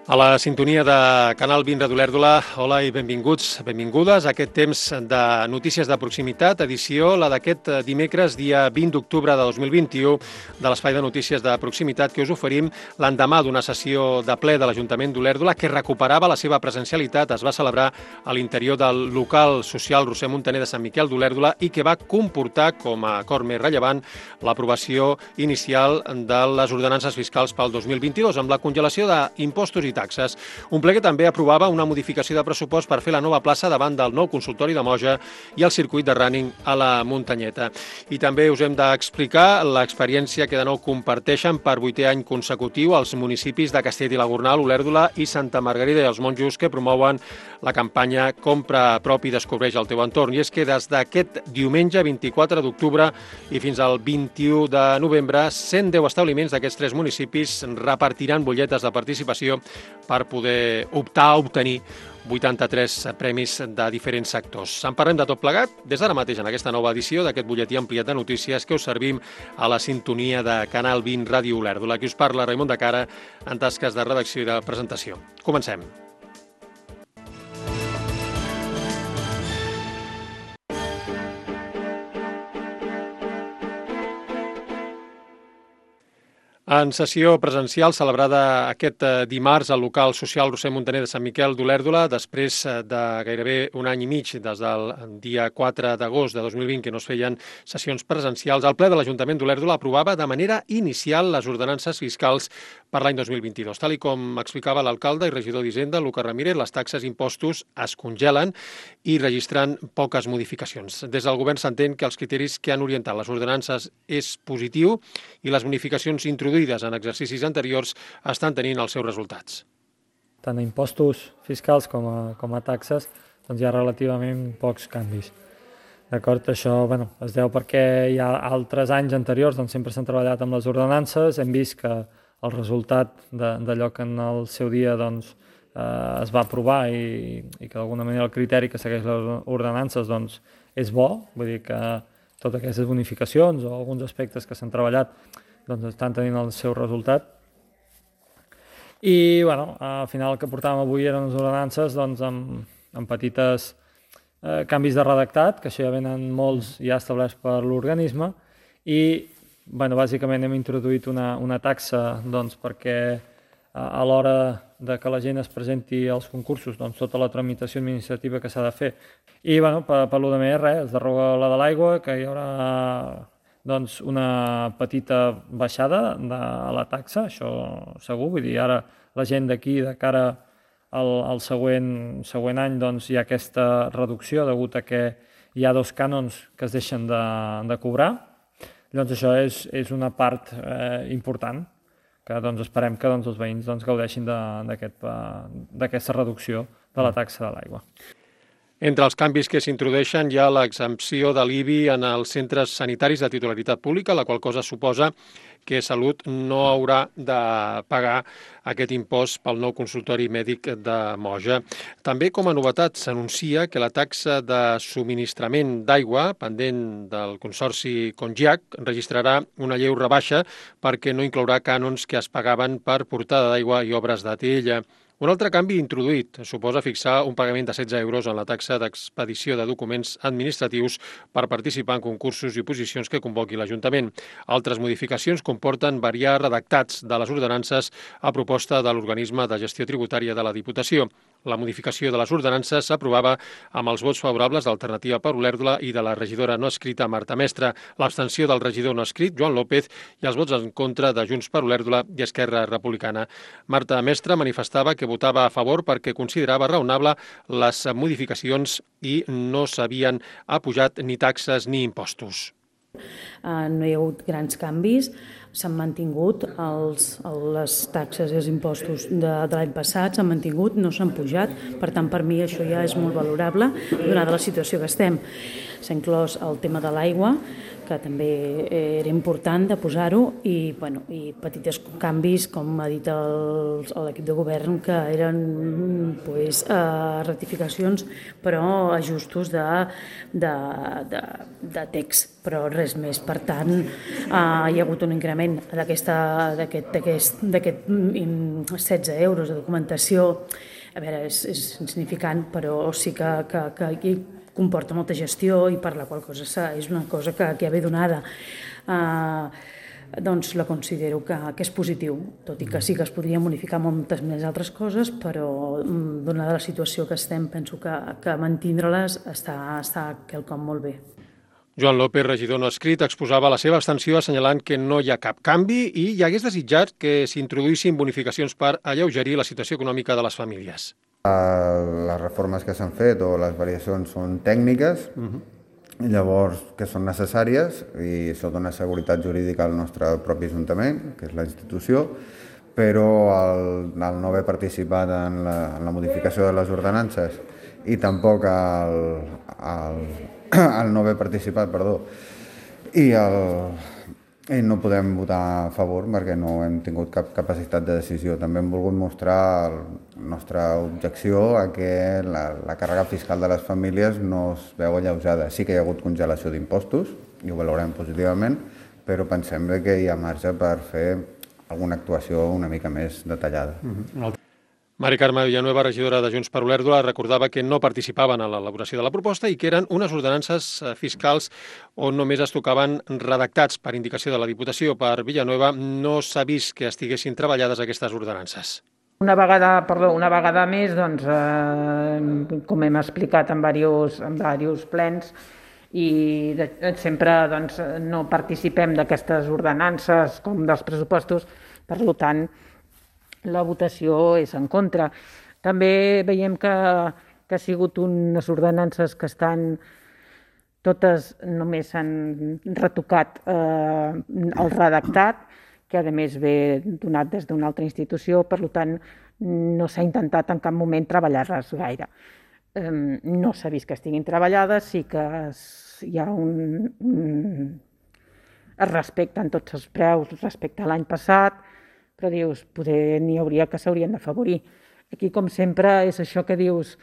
A la sintonia de Canal 20 Radio Olèrdola, hola i benvinguts, benvingudes a aquest temps de notícies de proximitat, edició la d'aquest dimecres, dia 20 d'octubre de 2021, de l'espai de notícies de proximitat que us oferim l'endemà d'una sessió de ple de l'Ajuntament d'Olèrdola que recuperava la seva presencialitat, es va celebrar a l'interior del local social Roser Montaner de Sant Miquel d'Olèrdola i que va comportar, com a acord més rellevant, l'aprovació inicial de les ordenances fiscals pel 2022, amb la congelació d'impostos i taxes. Un ple que també aprovava una modificació de pressupost per fer la nova plaça davant del nou consultori de Moja i el circuit de running a la Muntanyeta. I també us hem d'explicar l'experiència que de nou comparteixen per 8è any consecutiu els municipis de Castell i la Gornal, Olèrdola i Santa Margarida i els Monjos, que promouen la campanya Compra prop i descobreix el teu entorn. I és que des d'aquest diumenge 24 d'octubre i fins al 21 de novembre, 110 establiments d'aquests 3 municipis repartiran butlletes de participació per poder optar a obtenir 83 premis de diferents sectors. En parlem de tot plegat des d'ara mateix en aquesta nova edició d'aquest butlletí ampliat de notícies que us servim a la sintonia de Canal 20 Ràdio Olèrdola. Qui us parla, Raimon de Cara, en tasques de redacció i de presentació. Comencem. En sessió presencial celebrada aquest dimarts al local social Roser Montaner de Sant Miquel d'Olèrdola, després de gairebé un any i mig, des del dia 4 d'agost de 2020, que no es feien sessions presencials, el ple de l'Ajuntament d'Olèrdola aprovava de manera inicial les ordenances fiscals per l'any 2022. Tal com explicava l'alcalde i regidor d'Hisenda, Lucas Ramírez, les taxes i impostos es congelen i registren poques modificacions. Des del govern s'entén que els criteris que han orientat les ordenances és positiu i les bonificacions introduïdes en exercicis anteriors estan tenint els seus resultats. Tant a impostos fiscals com a taxes doncs hi ha relativament pocs canvis. D'acord, això es deu perquè hi ha altres anys anteriors doncs sempre s'han treballat amb les ordenances, hem vist que el resultat d'allò que en el seu dia doncs, es va aprovar i que d'alguna manera el criteri que segueix les ordenances doncs, és bo, vull dir que totes aquestes bonificacions o alguns aspectes que s'han treballat doncs estan tenint el seu resultat. I al final el que portàvem avui eren les ordenances doncs, amb petites canvis de redactat, que això ja venen molts ja establerts per l'organisme, i bàsicament hem introduït una taxa doncs, perquè a l'hora de que la gent es presenti als concursos, doncs, tota la tramitació administrativa que s'ha de fer. I per lo de més, es deroga la de l'aigua, que hi haurà doncs, una petita baixada de la taxa, això segur, vull dir, ara la gent d'aquí, de cara al següent any, doncs, hi ha aquesta reducció degut a que hi ha 2 cànons que es deixen de cobrar. Llavors això és una part important, que doncs, esperem que doncs, els veïns doncs, gaudeixin d'aquesta reducció de la taxa de l'aigua. Entre els canvis que s'introdueixen hi ha l'exempció de l'IBI en els centres sanitaris de titularitat pública, la qual cosa suposa que Salut no haurà de pagar aquest impost pel nou consultori mèdic de Moja. També, com a novetat, s'anuncia que la taxa de subministrament d'aigua, pendent del consorci Congiac, registrarà una lleu rebaixa perquè no inclourà cànons que es pagaven per portada d'aigua i obres d'atll. Un altre canvi introduït suposa fixar un pagament de 16 euros en la taxa d'expedició de documents administratius per participar en concursos i oposicions que convoqui l'Ajuntament. Altres modificacions comporten variar redactats de les ordenances a proposta de l'organisme de gestió tributària de la Diputació. La modificació de les ordenances s'aprovava amb els vots favorables d'Alternativa per Olèrdola i de la regidora no escrita Marta Mestre, l'abstenció del regidor no escrit Joan López i els vots en contra de Junts per Olèrdola i Esquerra Republicana. Marta Mestre manifestava que votava a favor perquè considerava raonable les modificacions i no s'havien apujat ni taxes ni impostos. No hi ha hagut grans canvis, s'han mantingut les taxes i els impostos de l'any passat, s'han mantingut, no s'han pujat, per tant per mi això ja és molt valorable donada la situació que estem. S'ha inclòs el tema de l'aigua, que també era important de posar-ho, i petits canvis, com ha dit l'equip de govern, que eren rectificacions, però ajustos de text, però res més. Per tant, hi ha hagut un increment pagament d'aquest 16 euros de documentació, a veure, és insignificant, però sí que comporta molta gestió i per la qual cosa és una cosa que ve donada. Doncs la considero que és positiu, tot i que sí que es podria modificar moltes més altres coses, però donada la situació que estem, penso que mantindre-les està quelcom molt bé. Joan López, regidor no escrit, exposava la seva abstenció assenyalant que no hi ha cap canvi i hi hagués desitjat que s'introduïssin bonificacions per alleugerir la situació econòmica de les famílies. Les reformes que s'han fet o les variacions són tècniques, llavors que són necessàries i això dona seguretat jurídica al nostre propi Ajuntament, que és la institució, però el no haver participat en la modificació de les ordenances i tampoc el no haver participat, i no podem votar a favor perquè no hem tingut cap capacitat de decisió. També hem volgut mostrar la nostra objecció a que la càrrega fiscal de les famílies no es veu alleujada. Sí que hi ha hagut congelació d'impostos, i ho valorem positivament, però pensem que hi ha marge per fer alguna actuació una mica més detallada. Mari Carme Villanueva, regidora de Junts per Olèrdola, recordava que no participaven en l'elaboració de la proposta i que eren unes ordenances fiscals on només es tocaven redactats per indicació de la Diputació. Per Villanueva no s'ha vist que estiguessin treballades aquestes ordenances. Una vegada més, doncs, com hem explicat en diversos plens, i sempre doncs, no participem d'aquestes ordenances com dels pressupostos, per tant, la votació és en contra. També veiem que ha sigut unes ordenances que estan totes, només s'han retocat el redactat, que a més ve donat des d'una altra institució, per tant no s'ha intentat en cap moment treballar-les gaire. No s'ha vist que estiguin treballades, sí que hi ha es respecten tots els preus respecte a l'any passat, però dius, poder n'hi hauria que s'haurien d'afavorir. Aquí, com sempre, és això que dius,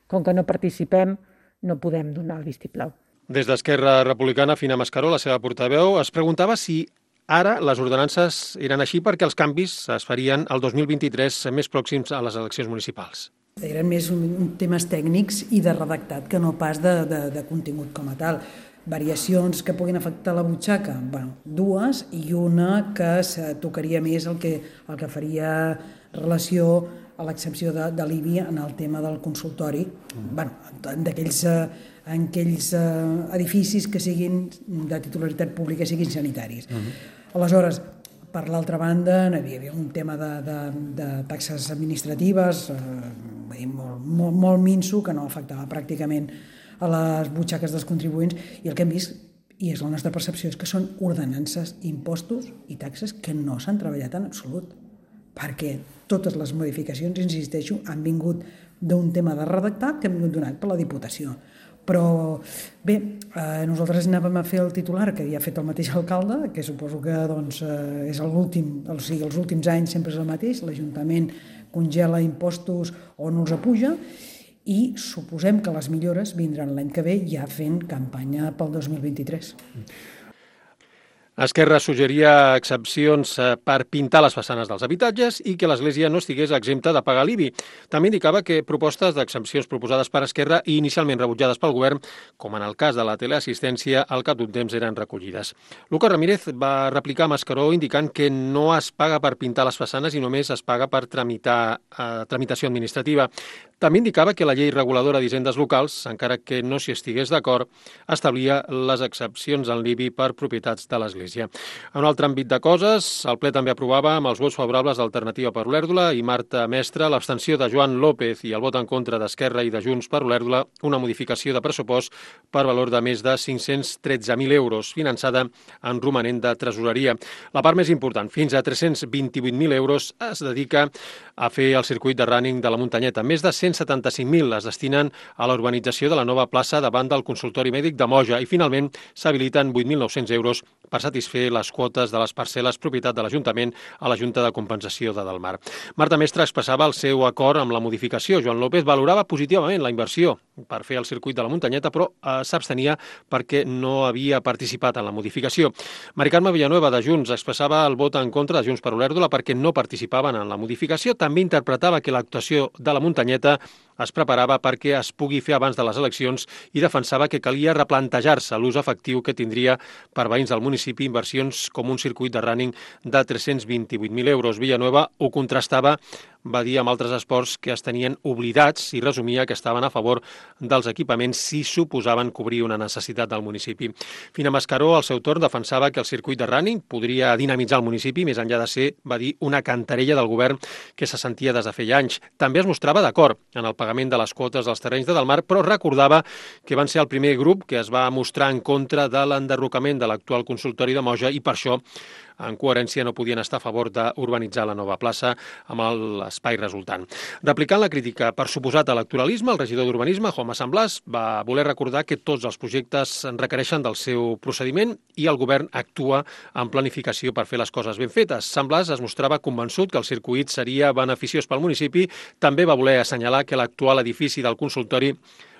com que no participem, no podem donar el vistiplau. Des d'Esquerra Republicana, Fina Mascaró, la seva portaveu, es preguntava si ara les ordenances eren així perquè els canvis es farien el 2023 més pròxims a les eleccions municipals. Eren més temes tècnics i de redactat que no pas de contingut com a tal. Variacions que puguin afectar la butxaca, dues, i una que tocaria més el que faria relació a l'exempció de l'IBI en el tema del consultori, d'aquells edificis que siguin de titularitat pública, siguin sanitaris. Aleshores, per l'altra banda, hi havia un tema de taxes administratives molt minso, que no afectava pràcticament a les butxaques dels contribuents, i el que hem vist, i és la nostra percepció, és que són ordenances, impostos i taxes que no s'han treballat en absolut, perquè totes les modificacions, insisteixo, han vingut d'un tema de redactat que ha vingut donat per la Diputació. Però bé, nosaltres anàvem a fer el titular que havia fet el mateix alcalde, que suposo que és l'últim, o sigui, els últims anys sempre és el mateix, l'Ajuntament congela impostos o no els apuja, i suposem que les millores vindran l'any que ve ja fent campanya pel 2023. Esquerra suggeria excepcions per pintar les façanes dels habitatges i que l'Església no estigués exempta de pagar l'IBI. També indicava que propostes d'exempcions proposades per Esquerra i inicialment rebutjades pel govern, com en el cas de la teleassistència, al cap d'un temps eren recollides. Lucas Ramírez va replicar a Mascaró indicant que no es paga per pintar les façanes i només es paga per tramitació administrativa. També indicava que la llei reguladora d'hisendes locals, encara que no s'hi estigués d'acord, establia les excepcions en l'IBI per propietats de l'Església. En un altre àmbit de coses, el ple també aprovava amb els vots favorables d'Alternativa per Olèrdola i Marta Mestre, l'abstenció de Joan López i el vot en contra d'Esquerra i de Junts per Olèrdola, una modificació de pressupost per valor de més de 513.000 euros, finançada en romanent de tresoreria. La part més important, fins a 328.000 euros, es dedica a fer el circuit de running de la muntanyeta. Més de 175.000 es destinen a la urbanització de la nova plaça davant del consultori mèdic de Moja i finalment s'habiliten 8.900 euros per satisfer satisfer les quotes de les parcel·les propietat de l'Ajuntament a la Junta de Compensació de Delmar. Marta Mestre expressava el seu acord amb la modificació. Joan López valorava positivament la inversió per fer el circuit de la muntanyeta, però s'abstenia perquè no havia participat en la modificació. Mari Carme Villanueva, de Junts, expressava el vot en contra de Junts per Olèrdola perquè no participaven en la modificació. També interpretava que l'actuació de la muntanyeta es preparava perquè es pugui fer abans de les eleccions i defensava que calia replantejar-se l'ús efectiu que tindria per veïns del municipi inversions com un circuit de running de 328.000 euros. Villanueva ho contrastava, va dir, amb altres esports que es tenien oblidats i resumia que estaven a favor dels equipaments si suposaven cobrir una necessitat del municipi. Fina Mascaró, al seu torn, defensava que el circuit de running podria dinamitzar el municipi, més enllà de ser, va dir, una cantarella del govern que se sentia des de feia anys. També es mostrava d'acord en el pagament de les quotes dels terrenys de Delmar, però recordava que van ser el primer grup que es va mostrar en contra de l'enderrocament de l'actual consultori de Moja i per això, en coherència, no podien estar a favor d'urbanitzar la nova plaça amb l'espai resultant. Replicant la crítica per suposat electoralisme, el regidor d'Urbanisme, Jaume Sant Blas, va voler recordar que tots els projectes requereixen del seu procediment i el govern actua amb planificació per fer les coses ben fetes. Sant Blas es mostrava convençut que el circuit seria beneficiós pel municipi. També va voler assenyalar que l'actual edifici del consultori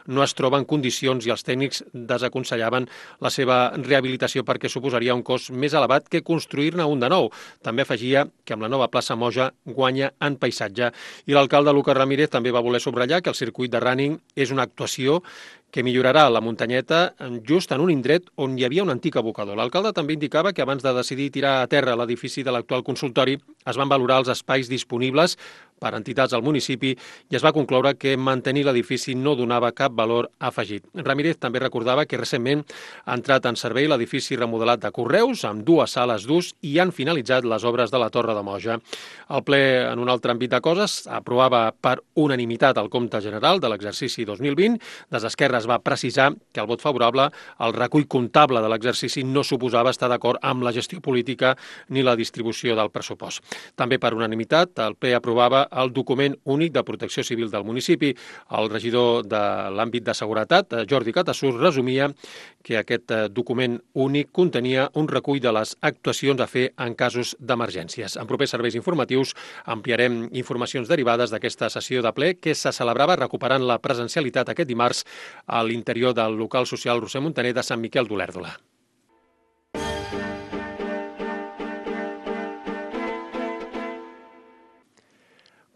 no es troba en condicions i els tècnics desaconsellaven la seva rehabilitació perquè suposaria un cost més elevat que construir-ne un de nou. També afegia que amb la nova plaça Moja guanya en paisatge. I l'alcalde Lucas Ramírez també va voler subratllar que el circuit de running és una actuació que millorarà la muntanyeta just en un indret on hi havia un antic abocador. L'alcalde també indicava que abans de decidir tirar a terra l'edifici de l'actual consultori es van valorar els espais disponibles per entitats al municipi i es va concloure que mantenir l'edifici no donava cap valor afegit. Ramírez també recordava que recentment ha entrat en servei l'edifici remodelat de Correus amb 2 sales d'ús i han finalitzat les obres de la Torre de Moja. El ple, en un altre àmbit de coses, aprovava per unanimitat el compte general de l'exercici 2020. Des d'Esquerra es va precisar que el vot favorable al recull comptable de l'exercici no suposava estar d'acord amb la gestió política ni la distribució del pressupost. També per unanimitat el ple aprovava el document únic de protecció civil del municipi. El regidor de l'àmbit de seguretat, Jordi Catassur, resumia que aquest document únic contenia un recull de les actuacions a fer en casos d'emergències. En propers serveis informatius ampliarem informacions derivades d'aquesta sessió de ple que se celebrava recuperant la presencialitat aquest dimarts a l'interior del local social Roser Montaner de Sant Miquel d'Olèrdola.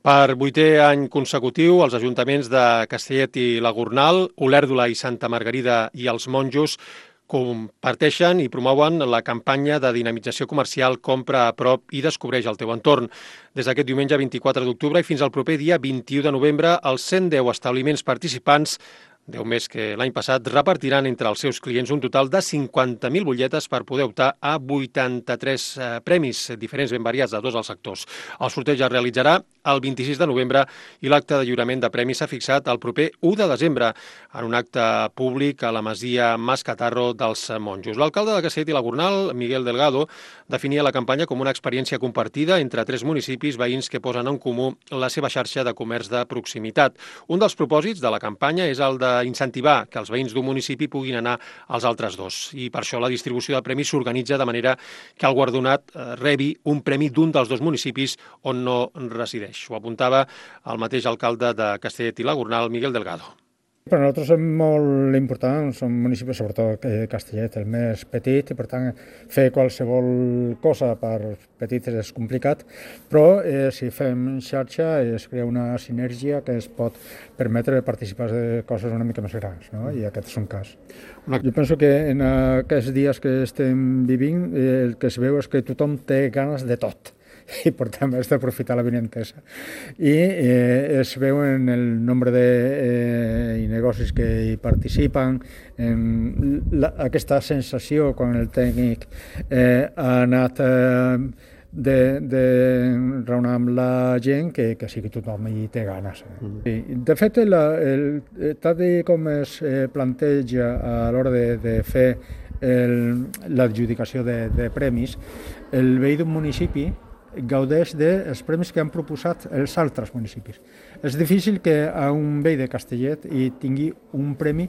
Per 8è any consecutiu, els ajuntaments de Castellet i la Gornal, Olèrdola i Santa Margarida i els Monjos comparteixen i promouen la campanya de dinamització comercial Compra a prop i descobreix el teu entorn. Des d'aquest diumenge 24 d'octubre i fins al proper dia 21 de novembre, els 110 establiments participants 10 més que l'any passat, repartiran entre els seus clients un total de 50.000 butlletes per poder optar a 83 premis diferents ben variats de tots els sectors. El sorteig es realitzarà el 26 de novembre i l'acte de lliurament de premis s'ha fixat el proper 1 de desembre en un acte públic a la masia Mas Catarro dels Monjos. L'alcalde de Castellet i la Gornal, Miguel Delgado, definia la campanya com una experiència compartida entre 3 municipis veïns que posen en comú la seva xarxa de comerç de proximitat. Un dels propòsits de la campanya és el d'incentivar que els veïns d'un municipi puguin anar als altres dos. I per això la distribució de premis s'organitza de manera que el guardonat rebi un premi d'un dels dos municipis on no resideix. Ho apuntava el mateix alcalde de Castellet i la Gornal, Miguel Delgado. Per nosaltres és molt important, som municipis, sobretot Castellet, el més petit, i per tant fer qualsevol cosa per petits és complicat, però si fem xarxa es crea una sinergia que es pot permetre participar de coses una mica més grans, no? I aquest és un cas. Jo penso que en aquests dies que estem vivint el que es veu és que tothom té ganes de tot. I per tant has d'aprofitar la vinentesa. I es veu en el nombre de negocis que hi participen, en aquesta sensació quan el tècnic ha anat de raonar amb la gent que sí que tothom hi té ganes. De fet, tal com es planteja a l'hora de fer l'adjudicació de premis, el veí d'un municipi gaudeix dels premis que han proposat els altres municipis. És difícil que a un veí de Castellet hi tingui un premi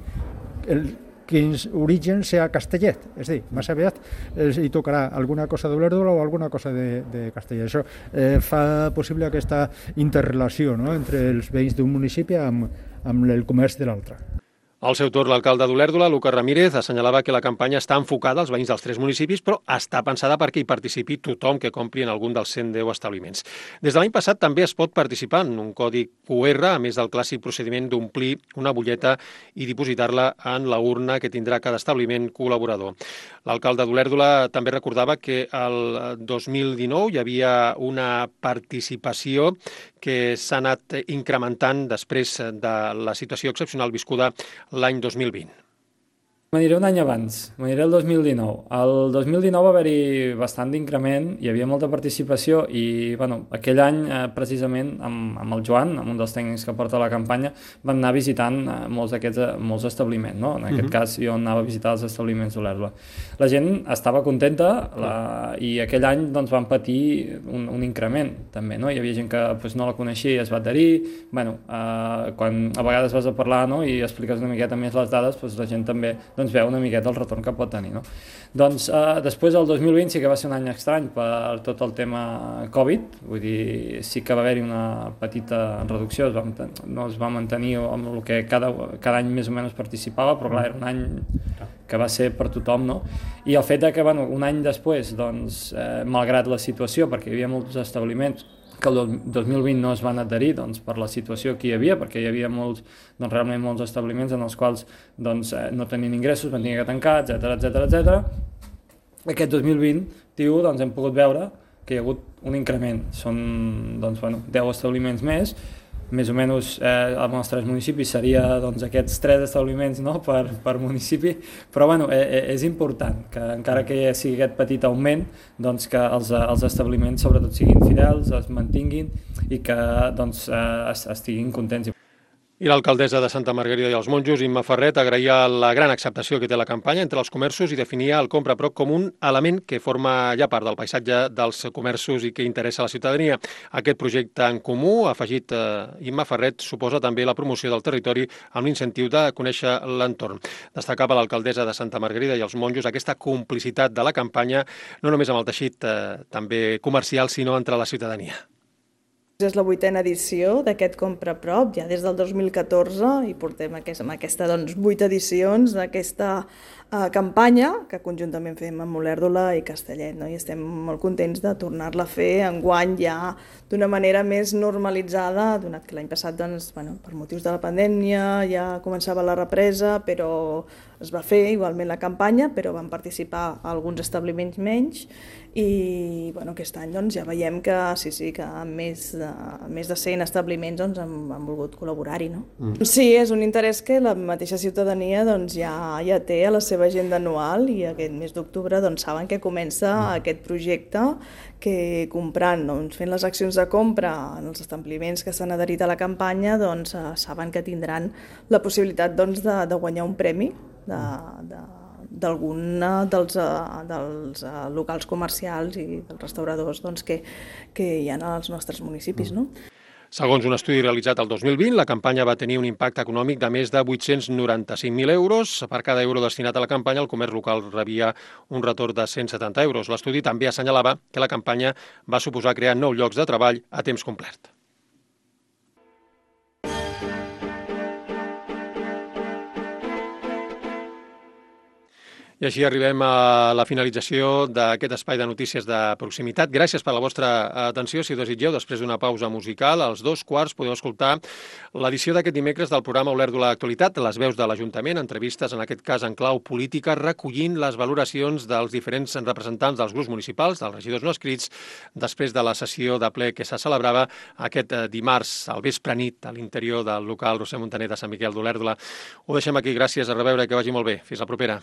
quins orígens sea Castellet. És a dir, més aviat hi tocarà alguna cosa d'Olèrdola o alguna cosa de Castellet. Això fa possible aquesta interrelació, no?, entre els veïns d'un municipi amb el comerç de l'altre. Al seu torn, l'alcalde d'Olèrdola, Lucas Ramírez, assenyalava que la campanya està enfocada als veïns dels 3 municipis, però està pensada perquè hi participi tothom que compri en algun dels 110 establiments. Des de l'any passat també es pot participar en un codi QR, a més del clàssic procediment d'omplir una butlleta i dipositar-la en la urna que tindrà cada establiment col·laborador. L'alcalde d'Olèrdola també recordava que el 2019 hi havia una participació que s'ha anat incrementant després de la situació excepcional viscuda l'any 2020. M'aniré un any abans, m'aniré el 2019. El 2019 va haver-hi bastant d'increment, hi havia molta participació i aquell any precisament amb el Joan, amb un dels tècnics que porta la campanya, vam anar visitant molts establiments. No? En aquest cas jo anava a visitar els establiments d'Olèrdola. La gent estava contenta i aquell any vam patir un increment també. No? Hi havia gent que no la coneixia i es va adherir. Quan a vegades vas a parlar i expliques una miqueta més les dades, la gent també veu una miqueta el retorn que pot tenir. No? Després del 2020 sí que va ser un any estrany per tot el tema Covid, vull dir, sí que va haver-hi una petita reducció, no es va mantenir amb el que cada any més o menys participava, però clar, era un any que va ser per tothom, no? I el fet que un any després, malgrat la situació, perquè hi havia molts establiments que el 2020 no es van adherir per la situació que hi havia, perquè hi havia realment molts establiments en els quals no tenien ingressos, van tenir que tancar, etc. Aquest 2021 hem pogut veure que hi ha hagut un increment. Són 10 establiments més o menys als nostres municipis seria aquests 3 establiments per municipi, però és important que encara que sigui aquest petit augment, que els establiments sobretot siguin fidels, es mantinguin i que estiguin contents. I l'alcaldessa de Santa Margarida i els Monjos, Imma Ferret, agraïa la gran acceptació que té la campanya entre els comerços i definia el compra a prop com un element que forma ja part del paisatge dels comerços i que interessa a la ciutadania. Aquest projecte en comú, afegit Imma Ferret, suposa també la promoció del territori amb l'incentiu de conèixer l'entorn. Destacava l'alcaldessa de Santa Margarida i els Monjos aquesta complicitat de la campanya, no només amb el teixit també comercial, sinó entre la ciutadania. És la 8a edició d'aquest Compra a Prop, ja des del 2014, i portem amb aquesta 8 edicions d'aquesta campanya que conjuntament fem amb Olèrdola i Castellet, no? I estem molt contents de tornar-la a fer enguany ja d'una manera més normalitzada, donat que l'any passat per motius de la pandèmia ja començava la represa, però es va fer igualment la campanya, però van participar alguns establiments menys i aquest any ja veiem que que més de 100 establiments han volgut col·laborar-hi. No? Sí, és un interès que la mateixa ciutadania ja té a la seva agenda anual i aquest mes d'octubre saben que comença aquest projecte que comprant, fent les accions de compra en els establiments que s'han adherit a la campanya, saben que tindran la possibilitat de guanyar un premi d'algun dels locals comercials i dels restauradors que hi ha als nostres municipis. No? Segons un estudi realitzat el 2020, la campanya va tenir un impacte econòmic de més de 895.000 euros. Per cada euro destinat a la campanya, el comerç local rebia un retorn de 170 euros. L'estudi també assenyalava que la campanya va suposar crear 9 llocs de treball a temps complet. I així arribem a la finalització d'aquest espai de notícies de proximitat. Gràcies per la vostra atenció. Si ho desitgeu, després d'una pausa musical, als 2:15 podeu escoltar l'edició d'aquest dimecres del programa Olèrdola Actualitat, les veus de l'Ajuntament, entrevistes, en aquest cas en clau política, recollint les valoracions dels diferents representants dels grups municipals, dels regidors no escrits, després de la sessió de ple que se celebrava aquest dimarts al vespre nit a l'interior del local Roser Montaner de Sant Miquel d'Olèrdola. Ho deixem aquí. Gràcies, a reveure i que vagi molt bé. Fins la propera.